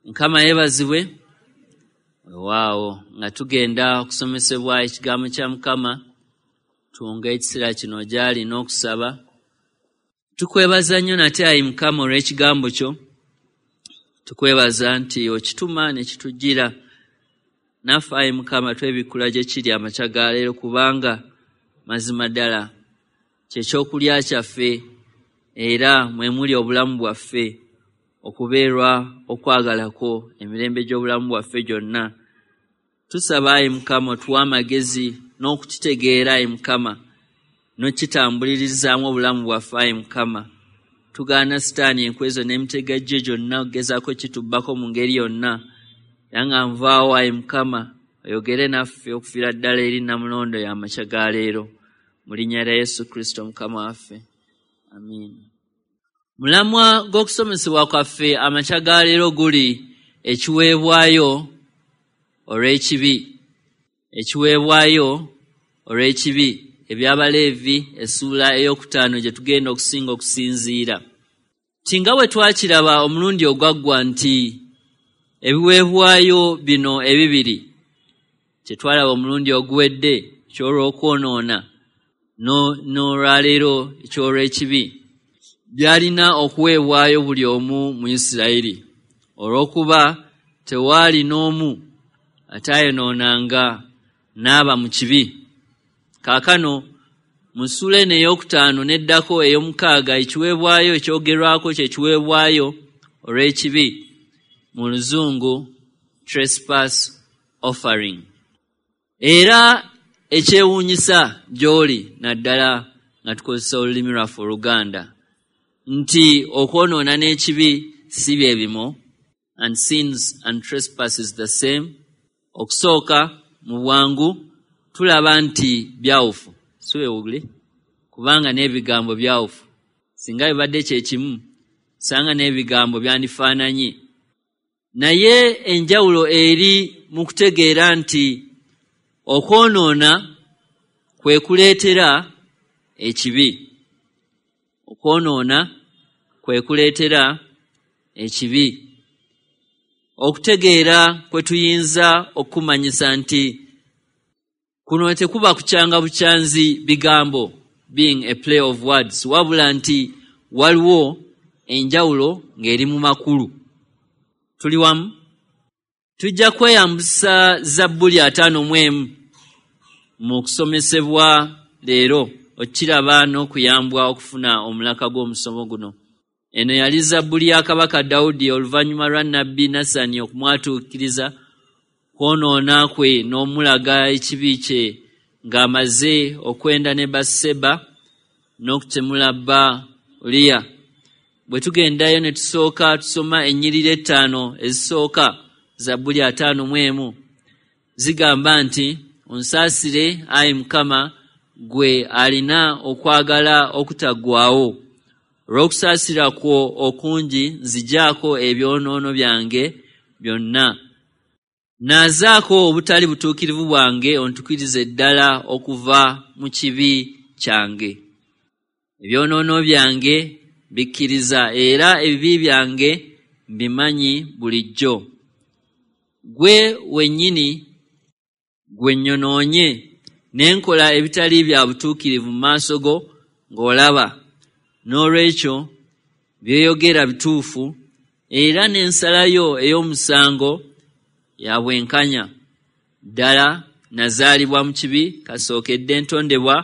Mukama yeebazibwe. Weewaawo nga tugenda okusomesebwa ekigambo kya Mukama, tuwonge ekiseera kino gy'ali n'okusaba. Tukwebaza nnyo nate ayi Mukama olw'ekigambo kyo. Tukwebaza nti okituma ne kitujjira. Naffe ayi Mukama twebikkula gye kiri amakya ga leero, kubanga mazima ddala kye kyokulya kyaffe era mwe muli obulamu bwaffe, okubeerwa okwagala kwo emirembe gy'obulamu bwaffe gyonna. Tusaba ayi Mukama otuwe amagezi n'okukitegeera ayi Mukama, n'okukitambulirizzaamu obulamu bwaffe ayi Mukama. Tugaana Sitaani enkwe zo n'emitego gye gyonna okugezaako kitubbako mu ngeri yonna. Era nga nvaawo ayi Mukama oyogere naffe okufiira ddala eri Nnamulondo y'amakya ga leero. Mu linnya lya Yesu Kristo Mukama waffe. Amiina. Mulamwa gw'okusomesebwa kwaffe amakya ga leero guli ekiweebwayo olw'ekibi. Ekiweebwayo olw'ekibi. Eby'Abaleevi essuula ey'okutaano gye tugenda okusinga okusinziira. Nti nga bwe twakiraba omulundi ogwaggwa nti ebiweebwayo bino ebibiri kye twalaba omulundi oguwedde eky'olw'okwonoona n'olwaleero eky'olw'ekibi byalina okuweebwayo buli omu mu Isirayiri, olw'okuba tewaali n'omu ataayonoonanga n'aba mu kibi. Kaakano mu ssuula eno ey'okutaano n'eddako ey'omukaaga, ekiweebwayo ekyogerwako kye kiweebwayo olw'ekibi, mu Luzungu trespass offering. Era ekyewuunyisa gy'oli, naddala nga tukozesa olulimi lwaffe Oluganda, nti okwonoona n'ekibi si bye bimu, and sins and trespasses the same. Okusooka mu bwangu tulaba nti byawufu, si bwe kubanga n'ebigambo byawufu. Singa bibadde kye kimu, sanga n'ebigambo byandifaananye. Naye enjawulo eri mu kutegeera nti okwonoona kwe kuleetera ekibi. Okwonoona kwe kuleetera ekibi. Okutegeera kwe tuyinza okumanyisa nti kuno tekuba kukyanga bukyanzi bigambo, being a play of words, wabula nti waliwo enjawulo ng'eri mu makulu. Tuli wamu? Tujja kweyambisa Zabbuli 51 mu kusomesebwa leero okukiraba n'okuyambwa okufuna omulaka gw'omusomo guno. Eno yali Zabbuli ya Kabaka Dawudi oluvannyuma lwa Nnabbi Nasani okumwatuukiriza kwonoona kwe n'omulaga ekibi kye ng'amaze okwenda ne Batseba n'okutemula bba Uliya. Bwe tugendayo ne tusooka tusoma ennyiriri 5 ezisooka Zabbuli 51, zigamba nti, Onsaasire ayi Mukama, ggwe alina okwagala okutaggwaawo. Olw'okusaasira kwo okungi nzigyako ebyonoono byange byonna. Naazaako obutali butuukirivu bwange, ontukirize ddala okuva mu kibi kyange. Ebyonoono byange bikkiriza era ebibi byange mbimanyi bulijjo. Ggwe wennyini gwe nnyonoonye ne nkola ebitali bya butuukirivu mu maaso go ng'olaba. N'olwekyo by'oyogera bituufu era n'ensala yo ey'omusango ya bwenkanya. Ddala nazaalibwa mu kibi, kasookedde ntondebwa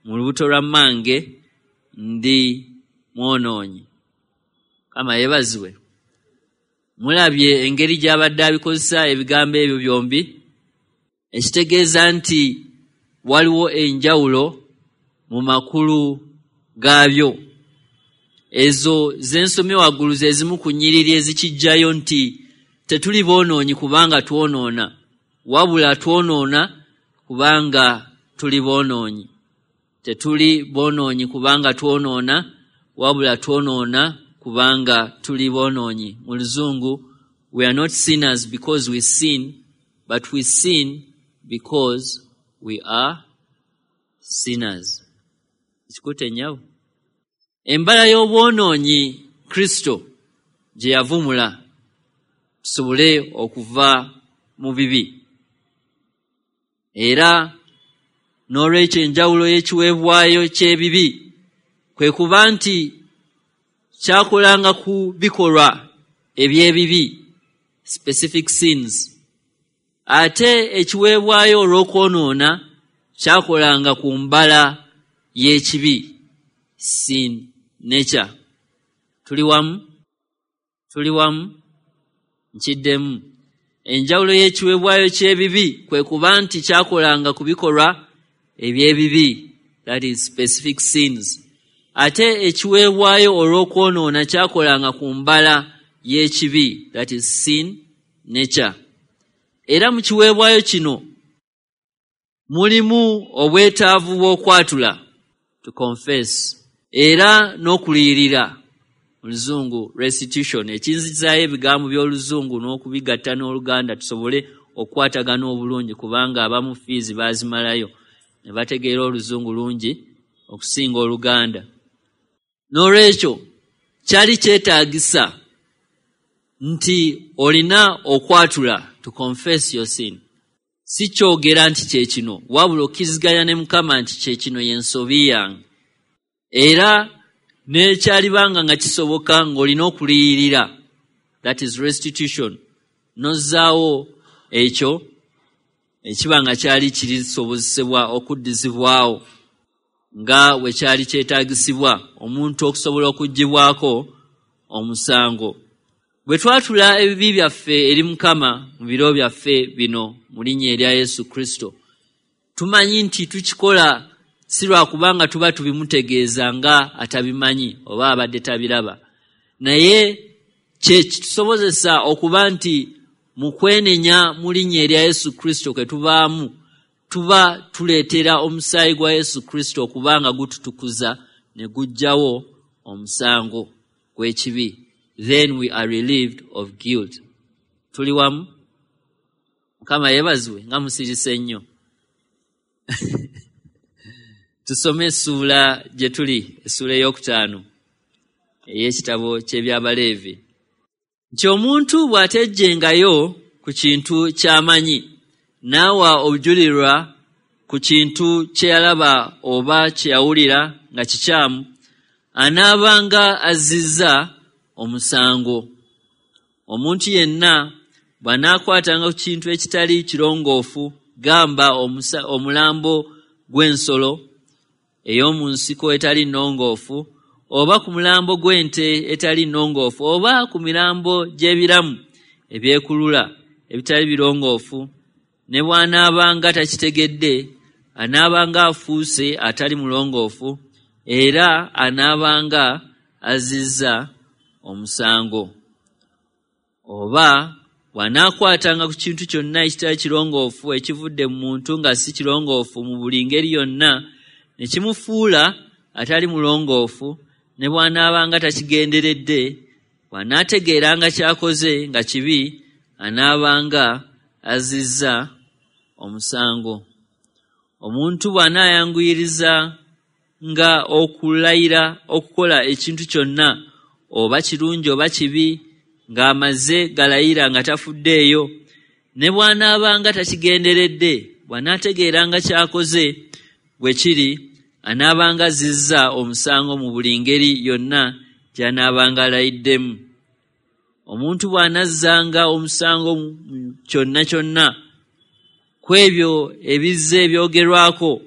mu lubuto lwa mmange ndi mwonoonyi. Mukama yeebazibwe. Mulabye engeri gy'abadde abikozesa ebigambo ebyo byombi, ekitegeeza nti waliwo enjawulo mu makulu gaabyo. Ezo ze nsomye waggulu ze zimu ku nnyiriri ezikiggyayo nti tetuli boonoonyi kubanga twonoona, wabula twonoona kubanga tuli boonoonyi. Tetuli boonoonyi kubanga twonoona, wabula twonoona kubanga tuli boonoonyi. Mu Luzungu, we are not sinners because we sin, but we sin because we are sinners. Ekikutte nnyabo. Embala y'obwonoonyi Kristo gye yavumula. Tusobole okuva mu bibi. Era n'olwekyo enjawulo y'ekiweebwayo ky'ebibi kwe kuba nti kyakolanga ku bikolwa eby'ebibi, specific sins, ate ekiweebwayo olw'okwonoona kyakolanga ku mbala y'ekibi, sin nature. Tuli wamu? Tuli wamu? Nkiddemu. Enjawulo y'ekiweebwayo ky'ebibi kwe kuba nti kyakolanga ku bikolwa eby'ebibi, that is specific sins, ate ekiweebwayo olw'okwonoona kyakolanga ku mbala y'ekibi, that is sin nature. Era mu kiweebwayo kino mulimu obwetaavu bw'okwatula, to confess, era n'okuliyirira, mu Luzungu restitution, ekinzizaayo ebigambo by'Oluzungu n'okubigatta n'Oluganda tusobole okukwatagana obulungi, kubanga abamu fiizi baazimalayo ne bategeera Oluzungu lungi okusinga Oluganda. N'olwekyo kyali kyetaagisa nti olina okwatula, to confess your sin. Si kyogera nti kye kino, wabula okkiriziganya ne Mukama nti kye kino y'ensobi yange. Era n'ekyalibanga nga kisoboka ng'olina okuliyirira, that is restitution, n'ozzaawo ekyo ekiba nga kyali kirisobozesebwa okuddizibwawo nga bwe kyali kyetaagisibwa omuntu okusobola okuggyibwako omusango. Bwe twatula ebibi byaffe eri Mukama mu biro byaffe bino mu linnya erya Yesu Kristo, tumanyi nti tukikola si lwakubanga tuba tubimutegeeza nga atabimanyi oba abadde tabiraba, naye kye kitusobozesa okuba nti mu kwenenya mu linnya erya Yesu Kristo kwe tubaamu, tuba tuleetera omusaayi gwa Yesu Kristo okuba nga gututukuza ne guggyawo omusango gw'ekibi. Then we are relieved of guilt. Tuli wamu? Mukama yeebazibwe nga musirise nnyo. Tusome essuula gye tuli, essuula ey'okutaano ey'ekitabo ky'Ebyabaleevi. Nti omuntu bw'atejjengayo ku kintu ky'amanyi, n'awa obujulirwa ku kintu kye yalaba oba kye yawulira nga kikyamu, anaabanga azzizza omusango. Omuntu yenna bw'anaakwatanga ku kintu ekitali kirongoofu, gamba omulambo gw'ensolo ey'omu nsiko etali nnongoofu, oba ku mulambo gw'ente etali nnongoofu, oba ku mirambo gy'ebiramu ebyekulula ebitali birongoofu, ne bw'anaabanga takitegedde, anaabanga afuuse atali mulongoofu, era anaabanga azzizza omusango. Oba bw'anaakwatanga ku kintu kyonna ekitali kirongoofu ekivudde mu muntu nga si kirongoofu mu buli ngeri yonna, ne kimufuula atali mulongoofu, ne bw'anaabanga takigenderedde, bw'anaategeeranga ky'akoze nga kibi, anaabanga azzizza omusango. Omuntu bw'anaayanguyiriza nga okulayira okukola ekintu kyonna, oba kirungi oba kibi, ng'amaze galayira nga tafuddeeyo, ne bw'anaabanga takigenderedde, bw'anaategeeranga ky'akoze bwe kiri, anaabanga azzizza omusango mu buli ngeri yonna gy'anaabanga alayiddemu. Omuntu bw'anazzanga omusango mu kyonna kyonna ku ebyo ebizze byogerwako,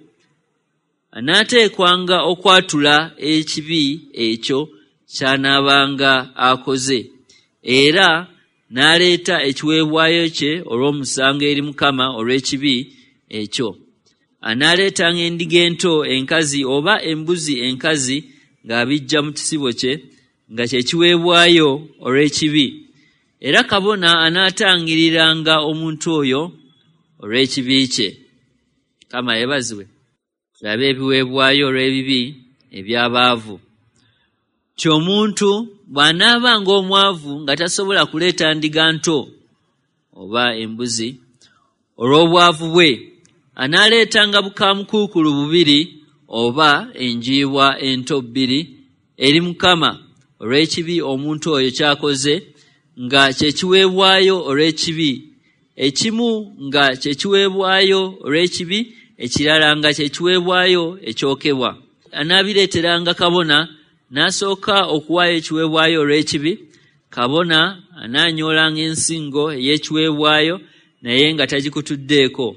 anaateekwanga okwatula ekibi ekyo ky'anaabanga akoze, era n'aleeta ekiweebwayo kye olw'omusango eri Mukama olw'ekibi ekyo. Anaaleetanga endiga ento enkazi oba embuzi enkazi ng'abiggya mu kisibo kye, nga kye kiweebwayo olw'ekibi. Era kabona anaatangiriranga omuntu oyo olw'ekibi kye. Mukama yeebazibwe. Tulabe ebiweebwayo olw'ebibi eby'abaavu. Nti omuntu bw'anaabanga omwavu nga tasobola kuleeta ndiga nto oba embuzi olw'obwavu bwe, anaaleetanga bukamukuukulu bubiri oba enjiibwa ento bbiri eri Mukama olw'ekibi omuntu oyo ky'akoze, nga kye kiweebwayo olw'ekibi, ekimu nga kye kiweebwayo olw'ekibi, ekirala nga kye kiweebwayo ekyokebwa. Anaabireeteranga kabona, n'asooka okuwaayo ekiweebwayo olw'ekibi. Kabona anaanyoolanga ensingo ey'ekiweebwayo, naye nga tagikutuddeeko.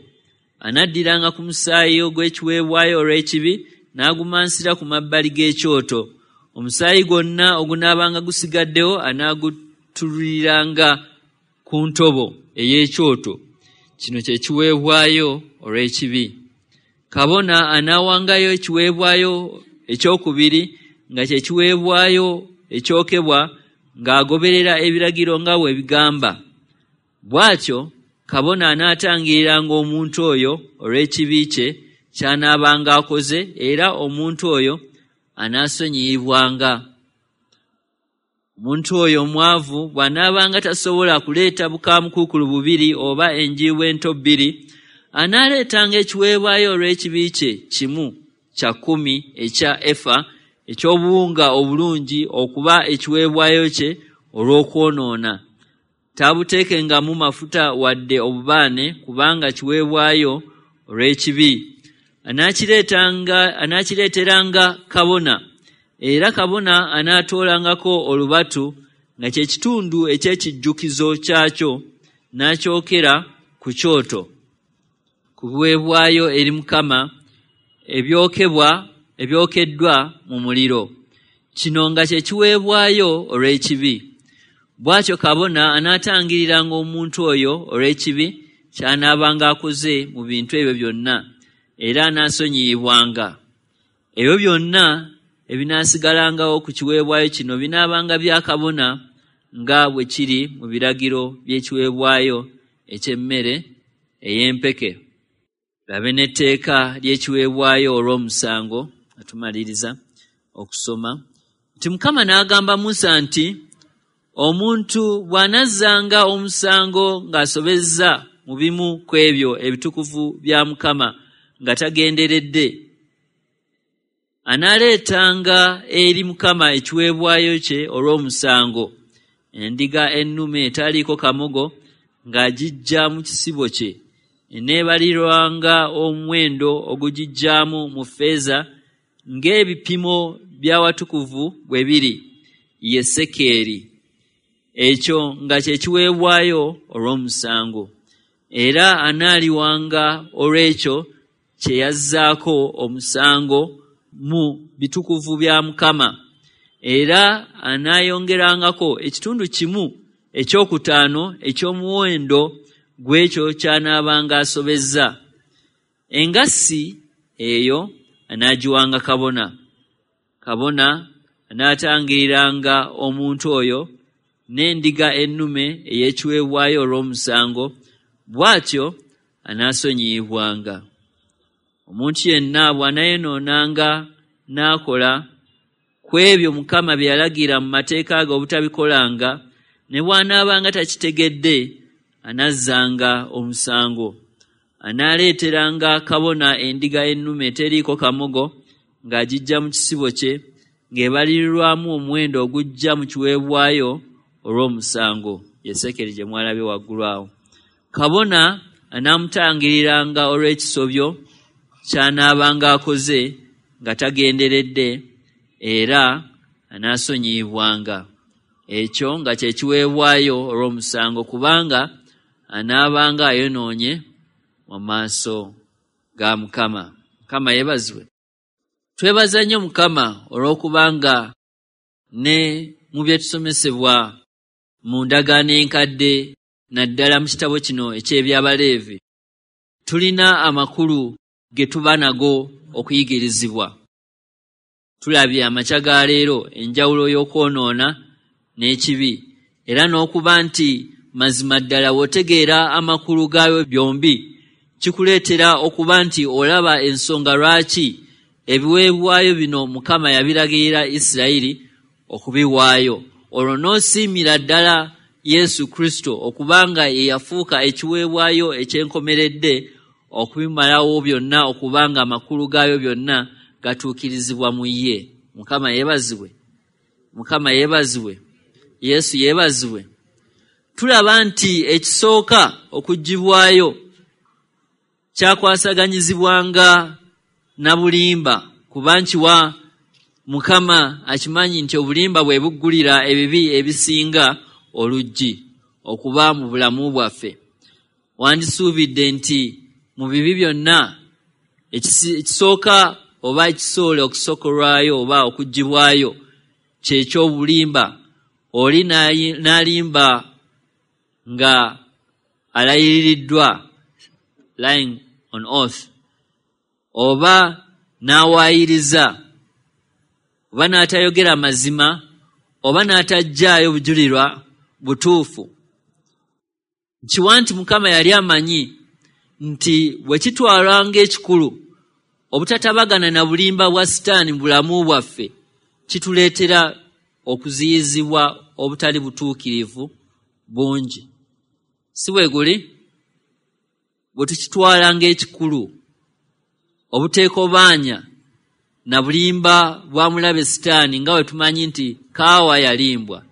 Anaddiranga ku musaayi ogw'ekiweebwayo olw'ekibi n'agumansira ku mabbali g'ekyoto. Omusaayi gwonna ogunaabanga gusigaddewo anaagutululiranga ku ntobo ey'ekyoto. Kino kye kiweebwayo olw'ekibi. Kabona anaawangayo ekiweebwayo ekyokubiri nga kye kiweebwayo ekyokebwa, ng'agoberera ebiragiro nga bwe bigamba. Bw'atyo kabona anaatangiriranga omuntu oyo olw'ekibi kye ky'anaabanga akoze, era omuntu oyo anaasonyiyibwanga. Omuntu oyo omwavu bw'anaabanga tasobola kuleeta bukaamukuukulu bubiri oba enjiibwa ento bbiri, anaaleetanga ekiweebwayo olw'ekibi kye kimu kya kkumi ekya efa eky'obuwunga obulungi okuba ekiweebwayo kye olw'okwonoona. Taabuteekengamu mafuta wadde obubaane, kubanga kiweebwayo olw'ekibi. Anaakireeteranga kabona, era kabona anaatoolangako olubatu nga kye kitundu eky'ekijjukizo kyakyo, n'akyokera ku kyoto. Ku biweebwayo eri Mukama ebyokebwa ebyokeddwa mu muliro. Kino nga kye kiweebwayo olw'ekibi. Bw'atyo kabona anaatangiriranga omuntu oyo olw'ekibi ky'anaabanga akoze mu bintu ebyo byonna, era anaasonyiyibwanga. Ebyo byonna ebinaasigalangawo ku kiweebwayo kino binaabanga bya kabona nga bwe kiri mu biragiro by'ekiweebwayo eky'emmere ey'empeke. Labe n'etteeka ly'ekiweebwayo olw'omusango. Atumaliriza okusoma nti Mukama n'agamba Musa nti, omuntu bw'anazzanga omusango ng'asobezza mu bimu ku ebyo ebitukuvu bya Mukama nga tagenderedde, anaaleetanga eri Mukama ekiweebwayo kye olw'omusango, endiga ennume etaliiko kamogo ng'agiggya mu kisibo kye, eneebalirwanga omuwendo ogugigyamu mu ffeeza ng'ebipimo by'awatukuvu bwe biri, ye sekeeri. Ekyo nga kye kiweebwayo olw'omusango. Era anaaliwanga olw'ekyo kye yazzaako omusango mu bitukuvu bya Mukama. Era anaayongerangako ekitundu kimu ekyokutaano eky'omuwendo gw'ekyo ky'anaabanga asobezza. Engassi eyo anaagiwanga kabona. Kabona anaatangiriranga omuntu oyo n'endiga ennume ey'ekiweebwayo olw'omusango, bw'atyo anaasonyiyibwanga. Omuntu yenna bw'anaayonoonanga n'akola ku ebyo Mukama bye yalagira mu mateeka ge obutabikolanga, ne bw'anaabanga takitegedde, anazzanga omusango. Anaaleeteranga kabona endiga ennume eteriiko kamogo ng'agiggya mu kisibo kye, ng'ebalirirwamu omuwendo ogujja mu kiweebwayo olw'omusango, ye sekeri gye mwalabye waggulu awo. Kabona anaamutangiriranga olw'ekisobyo ky'anaabanga akoze nga tagenderedde, era anaasonyiyibwanga. Ekyo nga kye kiweebwayo olw'omusango, kubanga anaabanga ayonoonye mu maaso ga Mukama. Mukama yeebazibwe. Twebaza nnyo Mukama olw'okubanga ne mu bye tusomesebwa mu ndagaano enkadde, naddala mu kitabo kino eky'Ebyabaleevi, tulina amakulu ge tuba nago okuyigirizibwa. Tulabye amakya ga leero enjawulo y'okwonoona n'ekibi, era n'okuba nti mazima ddala bw'otegeera amakulu gaayo byombi, kikuleetera okuba nti olaba ensonga lwaki ebiweebwayo bino Mukama yabiragirira Isirayiri okubiwaayo. Olwo n'osiimira ddala Yesu Kristo okubanga ye yafuuka ekiweebwayo eky'enkomeredde okubimalawo byonna, okubanga amakulu gaayo byonna gatuukirizibwa mu ye. Mukama yeebazibwe. Mukama yeebazibwe. Yesu yeebazibwe. Tulaba nti ekisooka okuggyibwayo kyakwasaganyizibwanga na bulimba, kuba nkiwa Mukama akimanyi nti obulimba bwe buggulira ebibi ebisinga oluggi okuba mu bulamu bwaffe. Wandisuubidde nti mu bibi byonna ekisooka oba ekisoole okusokolwayo oba okuggyibwayo ky'ekyobulimba. Oli n'alimba nga alayiririddwa, lying on oath, oba n'awaayiriza, oba n'atayogera mazima, oba n'atajjaayo bujulirwa butuufu. Nkiwa nti Mukama yali amanyi nti bwe kitwalwa ng'ekikulu obutatabagana na bulimba bwa Sitaani mu bulamu bwaffe kituleetera okuziyizibwa obutali butuukirivu bungi. Si bwe guli? Bwe tukitwala ng'ekikulu obuteekobaanya na bulimba bwa mulabe Sitaani, nga bwe tumanyi nti Kaawa yalimbwa,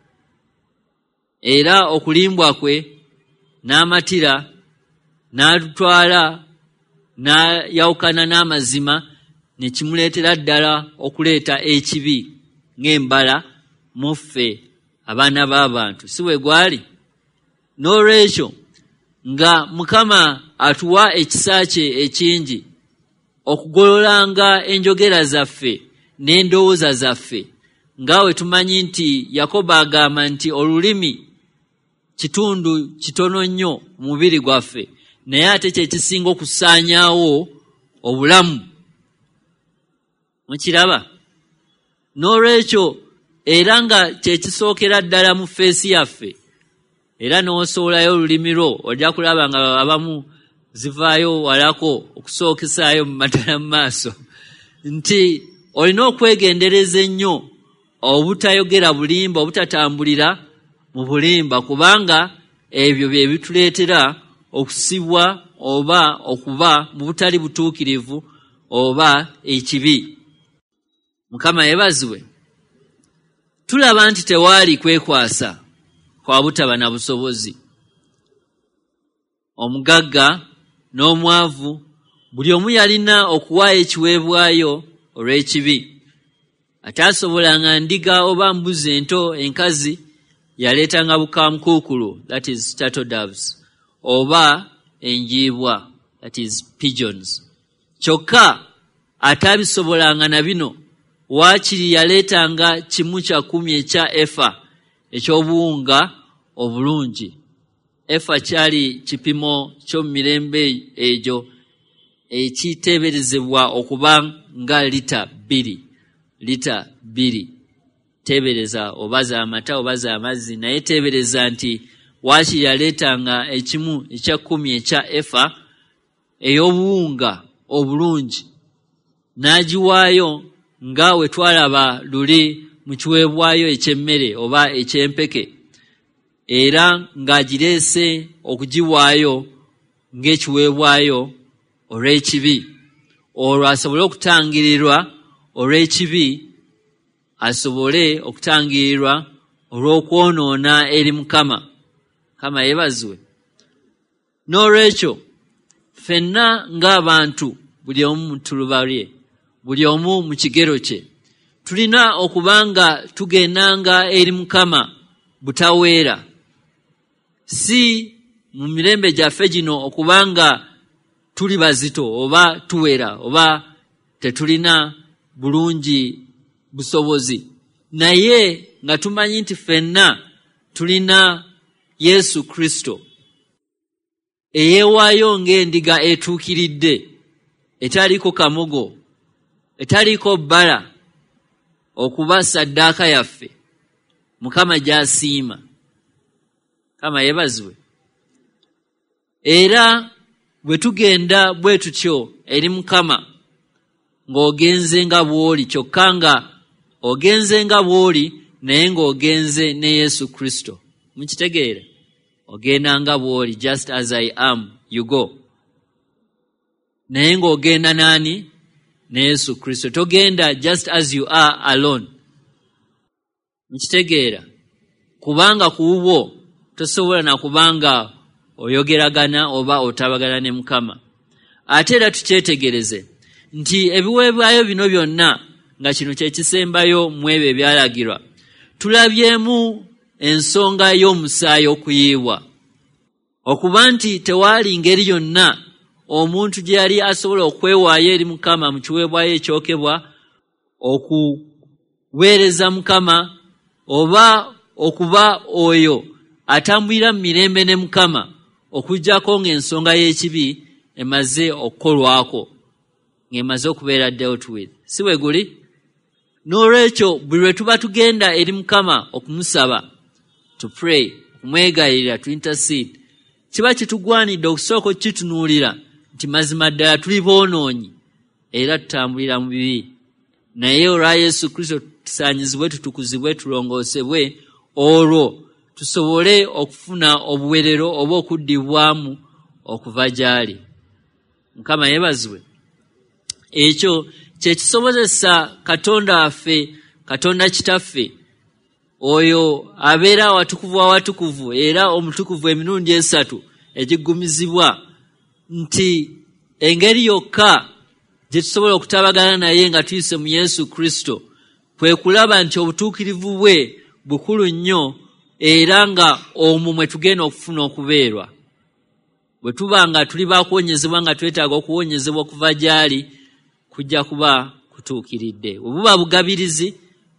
era okulimbwa kwe n'amatira n'atutwala n'ayawukana n'amazima, ne kimuleetera ddala okuleeta ekibi ng'embala mu ffe abaana b'abantu. Si bwe gwali? N'olwekyo nga Mukama atuwa ekisa kye ekingi okugololanga enjogera zaffe n'endowooza zaffe, nga bwe tumanyi nti Yakobo agamba nti olulimi kitundu kitono nnyo mu mubiri gwaffe, naye ate kye kisinga okusaanyaawo obulamu. Mukiraba? N'olwekyo era nga kye kisookera ddala mu feesi yaffe, era n'osoolayo olulimi lwo ojja kulaba nga abamu zivaayo walako okusookesaayo mu matala mu maaso, nti olina okwegendereza ennyo obutayogera bulimba, obutatambulira mu bulimba, kubanga ebyo bye bituleetera okusibwa oba okuba mu butali butuukirivu oba ekibi. Mukama yeebazibwe. Tulaba nti tewaali kwekwasa kwa butaba na busobozi. Omugagga n'omwavu buli omu yalina okuwaayo ekiweebwayo olw'ekibi. Ataasobolanga ndiga oba mbuzi ento enkazi yaleetanga bukamukuukulu, that is turtle doves, oba enjiibwa, that is pigeons. Kyokka ataabisobolanga na bino waakiri yaleetanga 1/10 ekya efa eky'obuwunga obulungi. Efa kyali kipimo ky'omu mirembe egyo ekiteeberezebwa okuba nga lita 2. Teebereza oba z'amata oba z'amazzi, naye teebereza nti waakiri yaleetanga 1/10 ekya efa ey'obuwunga obulungi n'agiwaayo nga we twalaba luli mu kiweebwayo eky'emmere oba eky'empeke, era ng'agireese okugiwaayo ng'ekiweebwayo olw'ekibi, olwo asobole okutangirirwa olw'ekibi, asobole okutangirirwa olw'okwonoona eri Mukama. Mukama yeebazibwe. N'olwekyo ffenna ng'abantu, buli omu mu ttuluba lye, buli omu mu kigero kye, tulina okuba nga tugendanga eri Mukama butaweera, si mu mirembe gyaffe gino okuba nga tuli bazito oba tuwera oba tetulina bulungi busobozi, naye nga tumanyi nti ffenna tulina Yesu Kristo eyeewaayo ng'endiga etuukiridde, etaliiko kamogo, etaliiko bbala, okuba ssaddaaka yaffe Mukama gy'asiima. Mukama yeebazibwe. Era bwe tugenda bwe tutyo eri Mukama, ng'ogenze nga bw'oli, kyokka nga ogenze nga bw'oli naye ng'ogenze ne Yesu Kristo. Mukitegeera? Ogenda nga bw'oli, just as I am, you go. Naye ng'ogenda n'ani? Ne Yesu Kristo. Togenda just as you are alone. Mukitegeera? Kubanga ku bubwo tosobola na kubanga oyogeragana oba otabagana ne Mukama. Ate era tukyetegereze nti ebiweebwayo bino byonna, nga kino kye kisembayo mu ebyo ebyalagirwa, tulabyemu ensonga y'omusaayi okuyiibwa, okuba nti tewaali ngeri yonna omuntu gye yali asobola okwewaayo eri Mukama mu kiweebwayo ekyokebwa, okuweereza Mukama oba okuba oyo atambulira mu mirembe ne Mukama, okuggyako ng'ensonga y'ekibi emaze okukolwako, ng'emaze okubeera dealt with. Si bwe guli? N'olwekyo buli lwe tuba tugenda eri Mukama okumusaba, to pray, okumwegayirira, to intercede, kiba kitugwanidde okusooka okukitunuulira nti mazima ddala tuli boonoonyi era tutambulira mu bibi, naye olwa Yesu Kristo tusaanyizibwe, tutukuzibwe, tulongoosebwe, olwo tusobole okufuna obuwerero oba okuddibwamu okuva gy'ali. Mukama yeebazibwe. Ekyo kye kisobozesa Katonda waffe, Katonda Kitaffe, oyo abeera awatukuvu awatukuvu era omutukuvu emirundi 3 egiggumizibwa, nti engeri yokka gye tusobola okutabagana naye nga tuyise mu Yesu Kristo kwe kulaba nti obutuukirivu bwe bukulu nnyo, era nga omwo mwe tugenda okufuna okubeerwa. Bwe tuba nga tuli bakuwonyezebwa, nga twetaaga okuwonyezebwa okuva gy'ali, kujja kuba kutuukiridde. Bwe buba bugabirizi,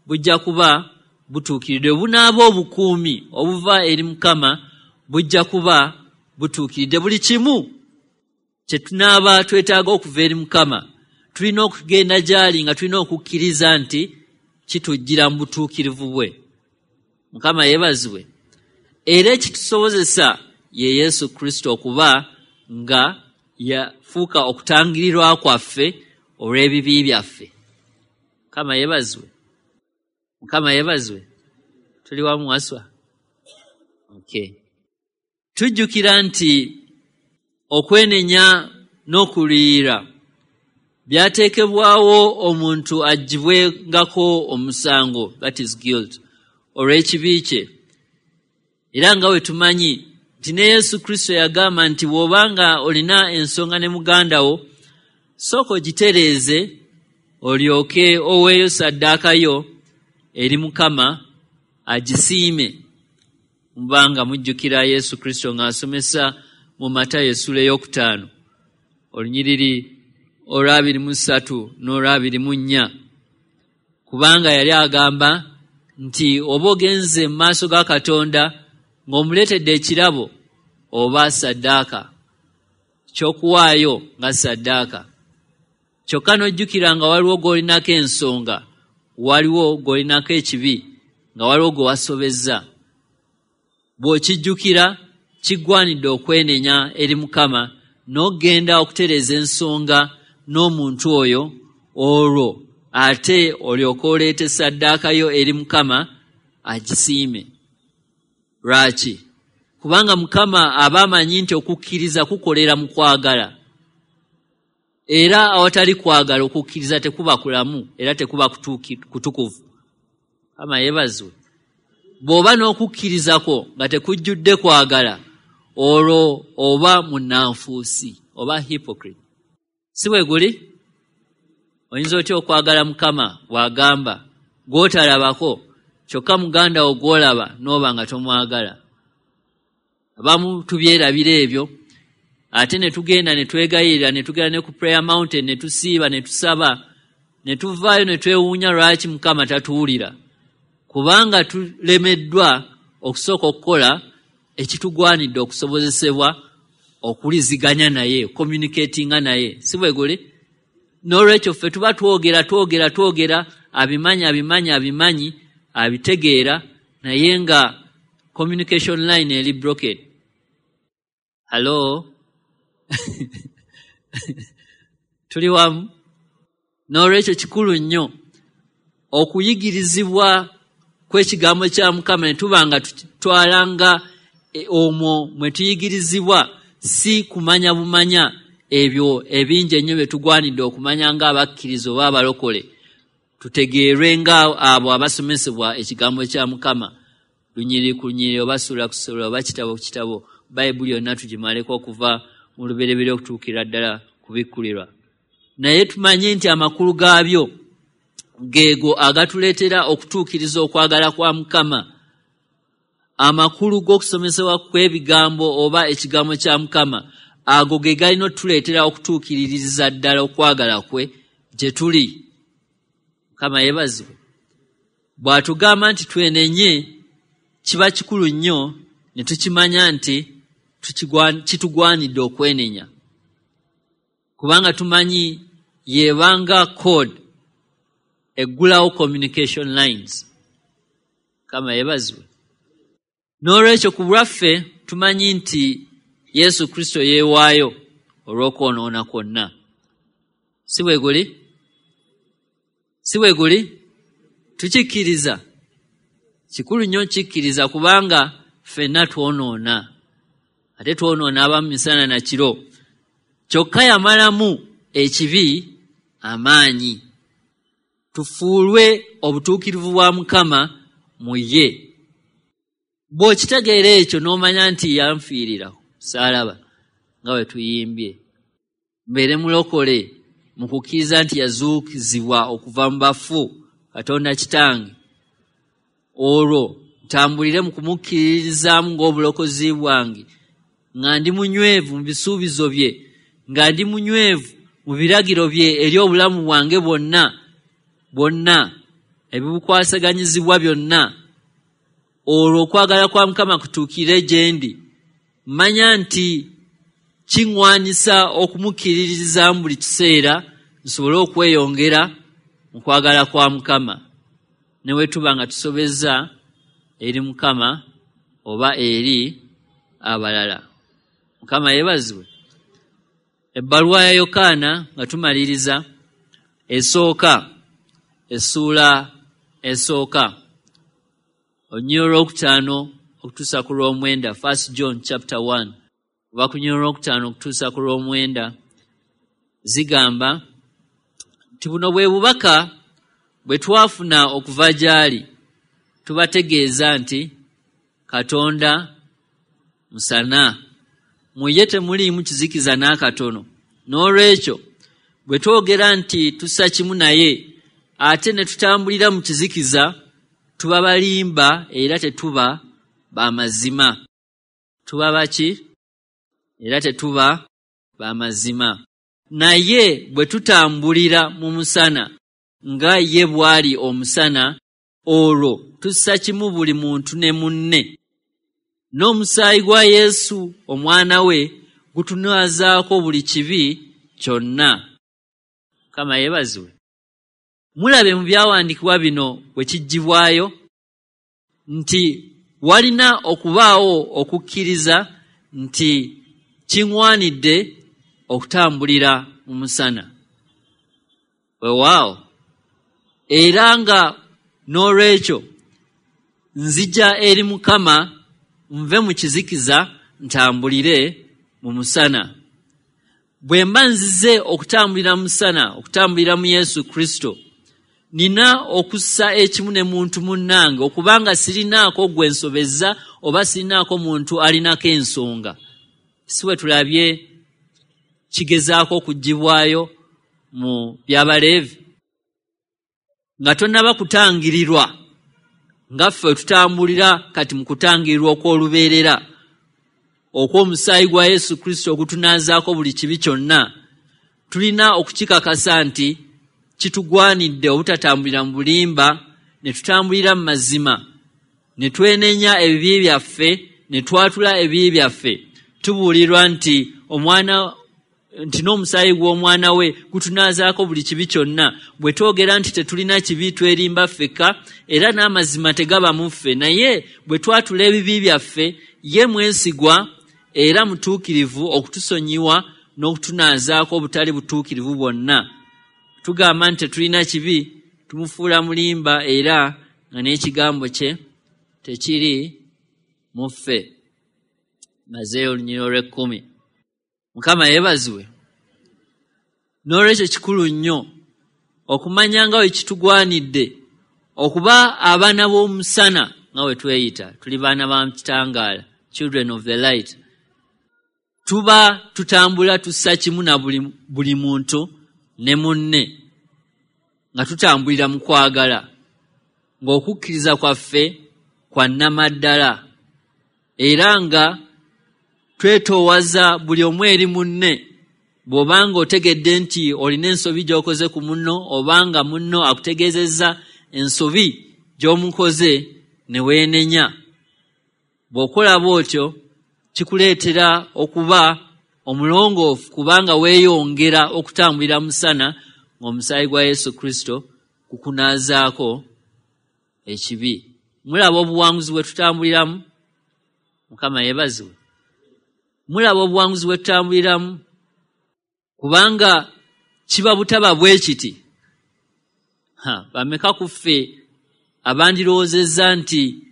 bujja kuba butuukiridde. Bwe bunaaba obukuumi obuva eri Mukama, bujja kuba butuukiridde. Buli kimu kye tunaaba twetaaga okuva eri Mukama, tulina okugenda gy'ali nga tulina okukkiriza nti kitujjira mu butuukirivu bwe. Mukama yeebazibwe. Era ekitusobozesa ye Yesu Kristo okuba nga yafuuka okutangirirwa kwaffe olw'ebibi byaffe. Mukama yeebazibwe. Mukama yeebazibwe. Tuli wamu waswa? Okay. Tujjukira nti okwenenya n'okuliyira byateekebwawo omuntu aggyibwengako omusango, that is guilt, olw'ekibi kye. Era nga bwe tumanyi nti ne Yesu Kristo yagamba nti bw'obanga olina ensonga ne muganda wo, sooka ogitereeze olyoke oweeyo ssaddaaka yo eri Mukama agisiime. Mubanga mujjukira Yesu Kristo ng'asomesa mu Matayo essula 5 olunyiriri olwa 23 n'olwa 24, kubanga yali agamba nti oba ogenze mu maaso ga Katonda ng'omuleetedde ekirabo oba ssaddaaka, ky'okuwaayo nga ssaddaaka, kyokka n'ojjukira nga waliwo gw'olinako ensonga, waliwo gw'olinako ekibi, nga waliwo gwe wasobezza. Bw'okijjukira kiggwanidde okwenenya eri Mukama n'ogenda okutereeza ensonga n'omuntu oyo, olwo ate olyoke oleete ssaddaaka yo eri Mukama agisiime. Lwaki? Kubanga Mukama aba amanyi nti okukkiriza kukolera mu kwagala, era awatali kwagala okukkiriza tekuba kulamu era tekuba kutukuvu. Mukama yeebazibwe. Bw'oba n'okukkirizako nga tekujjudde kwagala, olwo oba munnanfuusi oba hypocrite. Si bwe guli? Oyinza otya okwagala Mukama bw'agamba gw'otalabako, kyokka muganda wo gw'olaba n'oba nga tomwagala? Abamu tubyerabira ebyo, ate ne tugenda ne twegayirira, ne tugenda ne ku prayer mountain ne tusiiba ne tusaba, ne tuvaayo ne twewuunya lwaki Mukama tatuwulira, kubanga tulemeddwa okusooka okukola ekitugwanidde okusobozesebwa okuwuliziganya naye, communicatinga naye. Si bwe guli? N'olwekyo ffe tuba twogera twogera twogera, abimanyi abimanyi abimanyi, abitegeera, naye nga communication line eri broken. Hello? Tuli wamu? N'olwekyo kikulu nnyo okuyigirizibwa kw'ekigambo kya Mukama ne tuba nga tutwalanga omwo mwe tuyigirizibwa, si kumanya bumanya ebyo ebingi ennyo bye tugwanidde okumanya ng'abakkiriza oba abalokole, tutegeerwe nga abo abasomesebwa ekigambo kya Mukama. Lunyiriri ku lunyiriri, oba ssuula ku ssuula, oba kitabo ku kitabo, Bayibuli yonna tugimaleko okuva mu Lubereberye okutuukira ddala kubikkulirwa. Naye tumanye nti amakulu gaabyo geego agatuleetera okutuukiriza okwagala kwa Mukama. Amakulu g'okusomesebwa kw'ebigambo oba ekigambo kya Mukama ago ge galina otuleetera okutuukiririza ddala okwagala kwe gye tuli. Mukama yeebazibwe. Bw'atugamba nti twenenye, kiba kikulu nnyo ne tukimanya nti kitugwanidde okwenenya, kubanga tumanyi yebanga code eggulawo communication lines. Mukama yeebazibwe. N'olwekyo ku lwaffe tumanyi nti Yesu Kristo yeewaayo olw'okwonoona kwonna. Si bwe guli? Si bwe guli? Tukikkiriza. Kikulu nnyo kikkiriza, kubanga ffenna twonoona, ate twonoona abamu misana na kiro. Kyokka yamalamu ekibi amaanyi, tufuulwe obutuukirivu bwa Mukama mu ye. Bw'okitegeera ekyo n'omanya nti yanfiirira saalaba nga bwe tuyimbye, mbeere mulokole mu kukkiriza nti yazuukizibwa okuva mu bafu Katonda Kitange, olwo ntambulire mu kumukkiririzaamu ng'obulokozi bwange, nga ndi munywevu mu bisuubizo bye, nga ndi munywevu mu biragiro bye eri obulamu bwange bwonna bwonna, ebibukwasaganyizibwa byonna, olwo okwagala kwa Mukama kutuukire gye ndi. Mmanya nti kiŋŋwanisa okumukkiririzaamu buli kiseera nsobole okweyongera mu kwagala kwa Mukama, ne bwe tuba nga tusobezza eri Mukama oba eri abalala. Mukama yeebazibwe. Ebbaluwa ya Yokaana nga tumaliriza, esooka, essuula esooka, olunyiriri olwokutaano okutuusa ku lw'omwenda, 1 John chapter 1, oba ku lunyiriri olwokutaano okutuusa ku lw'omwenda, zigamba nti buno bwe bubaka bwe twafuna okuva gy'ali, tubategeeza nti Katonda musana, mu ye temuliimu kizikiza n'akatono. N'olwekyo bwe twogera nti tussa kimu naye, ate ne tutambulira mu kizikiza, tuba balimba era tetuba ba mazima. Tuba baki? Era tetuba ba mazima. Naye bwe tutambulira mu musana nga ye bw'ali omusana, olwo tussa kimu buli muntu ne munne. N'omusaayi gwa Yesu omwana we gutunaazaako buli kibi kyonna. Mukama yeebazibwe. Mulabe mu byawandiikibwa bino bwe kiggyibwayo nti walina okubaawo okukkiriza nti kiŋŋwanidde okutambulira mu musana. Weewaawo, era nga n'olwekyo nzija eri Mukama nve mu kizikiza ntambulire mu musana. Bwe mba nzize okutambulira mu musana, okutambulira mu Yesu Kristo, nina okussa ekimu ne muntu munnange, okubanga sirinaako gwe nsobezza oba sirinaako muntu alinako ensonga. Si bwe tulabye kigezaako okuggyibwayo mu by'Abaleevi? Nga tonnaba kutangirirwa, nga ffe tutambulira kati mu kutangirirwa okw'olubeerera okw'omusaayi gwa Yesu Kristo ogutunaazaako buli kibi kyonna, tulina okukikakasa nti kitugwanidde obutatambulira mu bulimba, ne tutambulira mu mazima, ne twenenya ebibi byaffe, ne twatula ebibi byaffe. Tubuulirwa nti omwana nti n'omusaayi gw'omwana we gutunaazaako buli kibi kyonna. Bwe twogera nti tetulina kibi, twerimba ffekka, era n'amazima tegaba mu ffe. Naye bwe twatula ebibi byaffe, ye mwesigwa era mutuukirivu okutusonyiwa n'okutunaazaako obutali butuukirivu bwonna. Tugamba nti tetulina kibi, tumufuula mulimba era nga n'ekigambo kye tekiri mu ffe. Mazeeyo olunyiriri olw'ekkumi. Mukama yeebazibwe. N'olwekyo kikulu nnyo okumanya nga bwe kitugwanidde okuba abaana b'omusana nga we tweyita, tuli baana ba kitangaala, children of the light. Tuba tutambula tussa kimu na buli muntu ne munne, nga tutambulira mu kwagala, ng'okukkiriza kwaffe kwa nnamaddala, era nga twetoowaza buli omu eri munne. Bw'obanga otegedde nti olina ensobi gy'okoze ku munno, obanga munno akutegeezezza ensobi gy'omukoze ne weenenya, bw'okola bw'otyo kikuleetera okuba omulongoofu, kubanga weeyongera okutambulira musana ng'omusaayi gwa Yesu Kristo kukunaazaako ekibi. Mulaba obuwanguzi bwe tutambuliramu? Mukama yeebazibwe. Mulaba obuwanguzi bwe tutambuliramu? Kubanga kiba butaba bwe kiti. Bameka ku ffe abandirowoozezza nti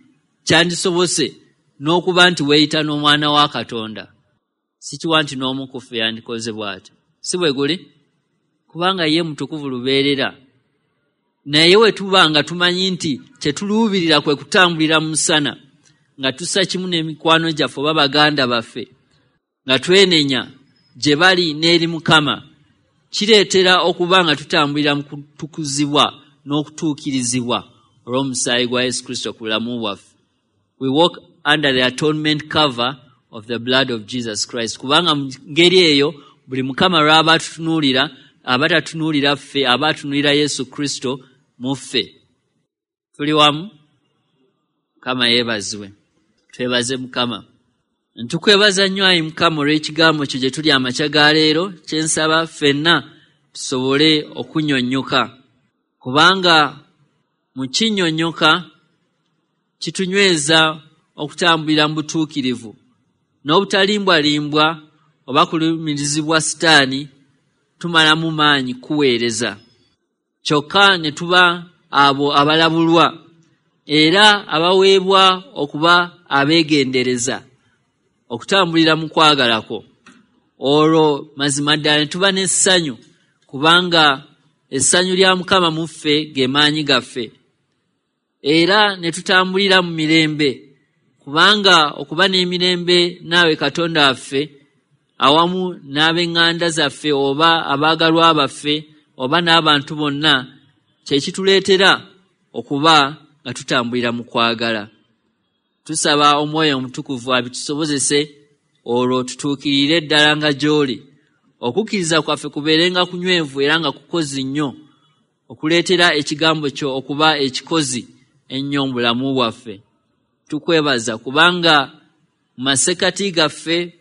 kyandisobose n'okuba nti weeyita n'omwana wa Katonda? Sikiwa nti n'omu ku ffe yandikoze bw'atyo. Si bwe guli? Kubanga ye mutukuvu lubeerera. Naye we tuba nga tumanyi nti kye tuluubirira kwe kutambulira mu musana, nga tussa kimu n'emikwano gyaffe oba baganda baffe, nga twenenya gye bali n'eri Mukama, kireetera okuba nga tutambulira mu kutukuzibwa n'okutuukirizibwa olw'omusaayi gwa Yesu Kristo ku bulamu bwaffe. We walk under the atonement cover of the blood of Jesus Christ. Kubanga mu ngeri eyo buli Mukama lw'aba atutunuulira, aba tatunuulira ffe, aba atunuulira Yesu Kristo mu ffe. Tuli wamu? Mukama yeebazibwe. Twebaze Mukama. Ntukwebaza nnyo ayi Mukama olw'ekigambo kyo gye tuli amakya ga leero, kye nsaba ffenna tusobole okunnyonnyoka, kubanga mu kinnyonnyoka kitunyweza okutambulira mu butuukirivu n'obutalimbwalimbwa oba kulumirizibwa Sitaani tumalamu maanyi kuweereza, kyokka ne tuba abo abalabulwa era abaweebwa okuba abeegendereza okutambulira mu kwagala kwo. Olwo mazima ddala ne tuba n'essanyu, kubanga essanyu lya Mukama mu ffe ge maanyi gaffe, era ne tutambulira mu mirembe, kubanga okuba n'emirembe naawe Katonda waffe awamu n'ab'eŋŋanda zaffe oba abaagalwa baffe oba n'abantu bonna kye kituleetera okuba nga tutambulira mu kwagala. Tusaba Omwoyo Omutukuvu abitusobozese, olwo tutuukirire ddala nga gy'oli. Okukkiriza kwaffe kubeerenga kunywevu era nga kukozi nnyo, okuleetera ekigambo kyo okuba ekikozi ennyo mu bulamu bwaffe. Tukwebaza kubanga mu masekkati gaffe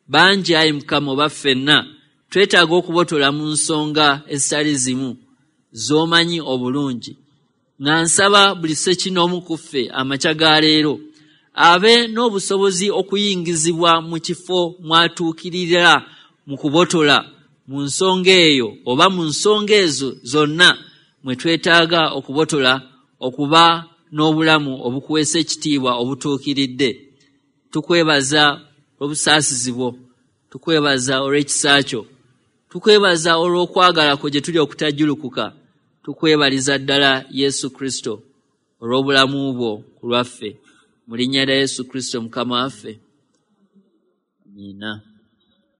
bangi ayi Mukama oba ffenna twetaaga okubotola mu nsonga ezitali zimu z'omanyi obulungi. Nga nsaba buli ssekinnoomu ku ffe amakya ga leero abe n'obusobozi okuyingizibwa mu kifo mw'atuukirira mu kubotola mu nsonga eyo oba mu nsonga ezo zonna mwe twetaaga okubotola okuba n'obulamu obukuweesa ekitiibwa obutuukiridde. Tukwebaza olw'obusaasizi bwo, tukwebaza olw'ekisa kyo, tukwebaza olw'okwagala kwo gye tuli okutajjulukuka. Tukwebaliza ddala Yesu Kristo olw'obulamu bwo ku lwaffe. Mu linnya lya Yesu Kristo Mukama waffe. Amiina.